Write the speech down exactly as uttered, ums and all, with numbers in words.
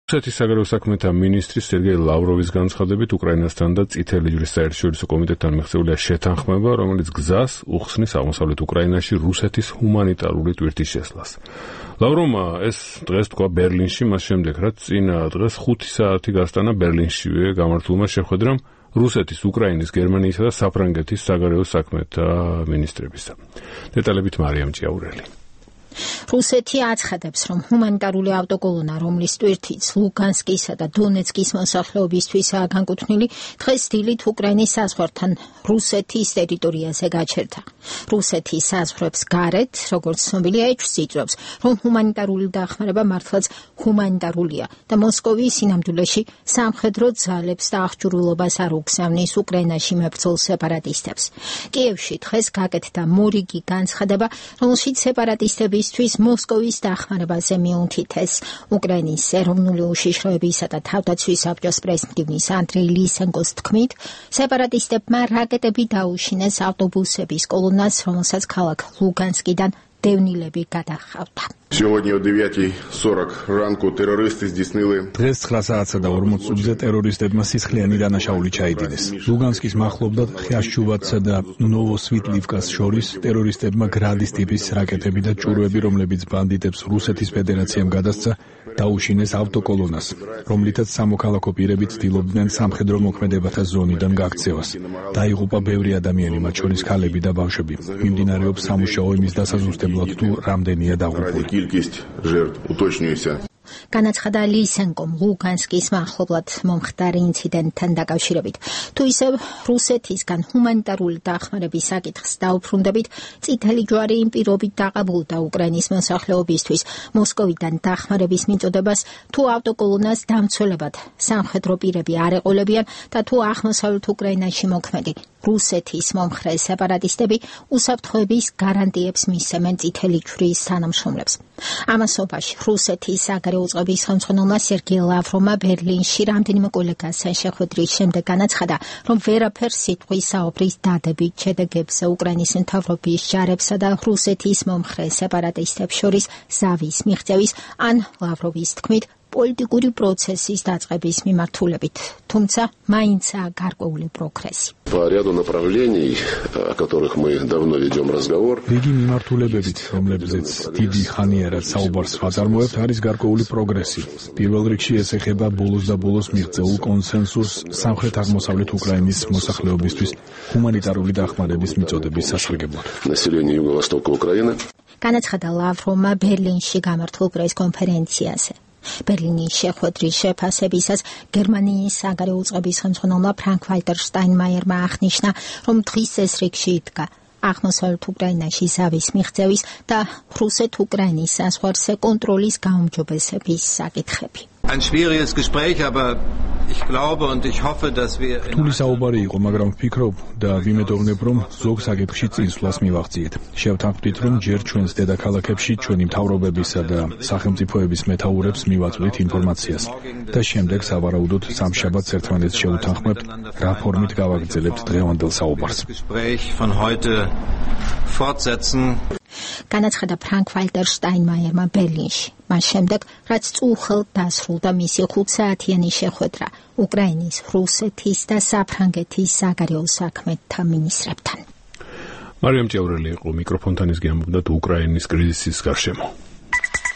რუსეთის საგარეო საქმეთა მინისტრის სერგეი ლავროვის განცხადებით უკრაინასთან და წითელი ჯვრის საერთაშორისო კომიტეტთან მიღწეულია შეთანხმება, რომელიც გზას უხსნის აღმოსავლეთ უკრაინაში რუსეთის ჰუმანიტარული ტვირთის შესვლას. ლავროვმა ეს დღეს თქვა ბერლინში, მას შემდეგ რაც წინა დღეს ხუთი საათი გასტანა ბერლინშივე გამართულმა შეხვედრამ რუსეთის, უკრაინის, გერმანიისა და საფრანგეთის საგარეო საქმეთა მინისტრებისა. დეტალებით მარიამ ჭიაურელი. რუსეთი აცხადებს, რომ ჰუმანიტარული ავტოკოლონა, რომლის ტვირთიც ლუგანსკისა და დონეცკის მოსახლეობისთვისაა განკუთვნილი, დღეს დილით უკრაინის საზღვართან რუსეთის ტერიტორიაზე გაჩერდა. რუსეთი საზღვრებს გარეთ, როგორც ცნობილია, ეჭვს იწვევს, რომ ჰუმანიტარული დახმარება მართლაც ჰუმანიტარულია და მოსკოვი სინამდვილეში სამხედრო ძალებს და აღჭურვილობას არ უგზავნის უკრაინაში მებრძოლ სეპარატისტებს. კიევში დღეს გაკეთდა მორიგი განცხადება, რომელშიც სეპარატისტები თვის მოსკოვის დახმარებაზე მიუთითეს. უკრაინის ეროვნული უშიშროებისა და თავდაცვის საბჭოს პრეზიდენტის ანდრეი ლისენკოს თქმით, სეპარატისტებმა რაკეტები დაუშინეს ავტობუსების კოლონას, რომელსაც ქალაქ ლუგანსკიდან დევნილები გადახავდა. დღეს ცხრა საათსა და ორმოც წუთზე ტერორისტებმა სისხლიანი დანაშაული ჩაიდინეს. ლუგანსკის მახლობლად ხიაშჩუბათსა და ნოვოსვიტლივკას შორის ტერორისტებმა გრადის ტიპის რაკეტები და ჭურვები, რომლებიც ბანდიტებს რუსეთის ფედერაციამ გადასცა, დაუშინეს ავტოკოლონას, რომლითაც სამოქალაქო პირები ცდილობდნენ სამხედრო მოქმედებათა ზონიდან გაქცევას. დაიღუპა ბევრი ადამიანი, მათ შორის ქალები და ბავშვები. მიმდინარეობს სამუშაო იმის დასაზუსტებლად, თუ რამდენია დაღუპული. განაცხადა ლისენკომ ლუგანსკის მახლობლად მომხდარი ინციდენტთან დაკავშირებით. თუ ისევ რუსეთისგან ჰუმანიტარული დახმარების საკითხს დაუბრუნდებით, წითელი ჯვარი იმ პირობით დაყაბულდა უკრაინის მოსახლეობისთვის მოსკოვიდან დახმარების მიწოდებას, თუ ავტოკოლონას დამცველებად სამხედრო პირები არ ეყოლებიან და თუ აღმოსავლეთ უკრაინაში მოქმედი რუსეთის მომხრე სეპარატისტები უსაფრთხოების გარანტიებს მისცემენ წითელი ჯვრის თანამშრომლებს. ამასობაში რუსეთის საგარეო წყობის ხელმძღვანელმა სერგეი ლავროვმა ბერლინში რამდენიმე კოლეგასთან შეხვედრის შემდეგ განაცხადა, რომ ვერაფერ სიტყვის საუბრის დადებით შედეგებზე უკრაინის მთავრობის ჯარებსა და რუსეთის მომხრე სეპარატისტებს შორის ზავის მიღწევის ან ლავროვის თქმით პოლიტიკური პროცესის დაწყების მიმართულებით, თუმცა მაინცაა გარკვეული პროგრესი. რიგი მიმართულებებით, რომლებზეც დიდი ხანიარად საუბარს ვაწარმოებთ, არის გარკვეული პროგრესი. პირველ რიგში ეს ეხება ბოლოს და ბოლოს მიღწეულ კონსენსუსს სამხრეთ-აღმოსავლეთ უკრაინის მოსახლეობისთვის ჰუმანიტარული დახმარების მიწოდების სასარგებლოდ. განაცხადა ლავროვმა ბერლინში გამართულ პრეს-კონფერენციაზე. ბერლინის შეხვედრის შეფასებისას გერმანიის საგარეო წყობის ხელმძღვანელმა ფრანკ-ვალტერ შტაინმაიერმა აღნიშნა, რომ დღის ეს რიგში იდგა აღმოსავლეთ უკრაინაში ზავის მიღწევის და რუსეთ-უკრაინის საზღვარზე კონტროლის გაუმჯობესების საკითხები. Ein schwieriges Gespräch, aber ich glaube und ich hoffe, dass wir რთული საუბარი იყო, მაგრამ ვფიქრობ და ვიმედოვნებ, რომ ზოგ საკითხში წინსვლას მივაღწიეთ. შევთანხმდით, რომ ჯერ ჩვენს დედაქალაქებში ჩვენი მთავრობებისა და სახელმწიფოების მეთაურებს მივაწვდით ინფორმაციას და შემდეგ სავარაუდოდ სამშაბათს ერთმანეთს შევუთანხმებთ, რა ფორმით გავაგრძელებთ დღევანდელ საუბარს. განაცხადა ფრანკ-ვალტერ შტაინმაიერმა ბერლინში. მას შემდეგ, რაც წუხელთ დასრულდა მისი ხუთსაათიანი შეხვედრა უკრაინის, რუსეთის და საფრანგეთის საგარეო საქმეთა მინისტრებთან. მარიამ ჭიაურელი იყო მიკროფონთან, ის გემობდა უკრაინის კრიზისის გარშემო.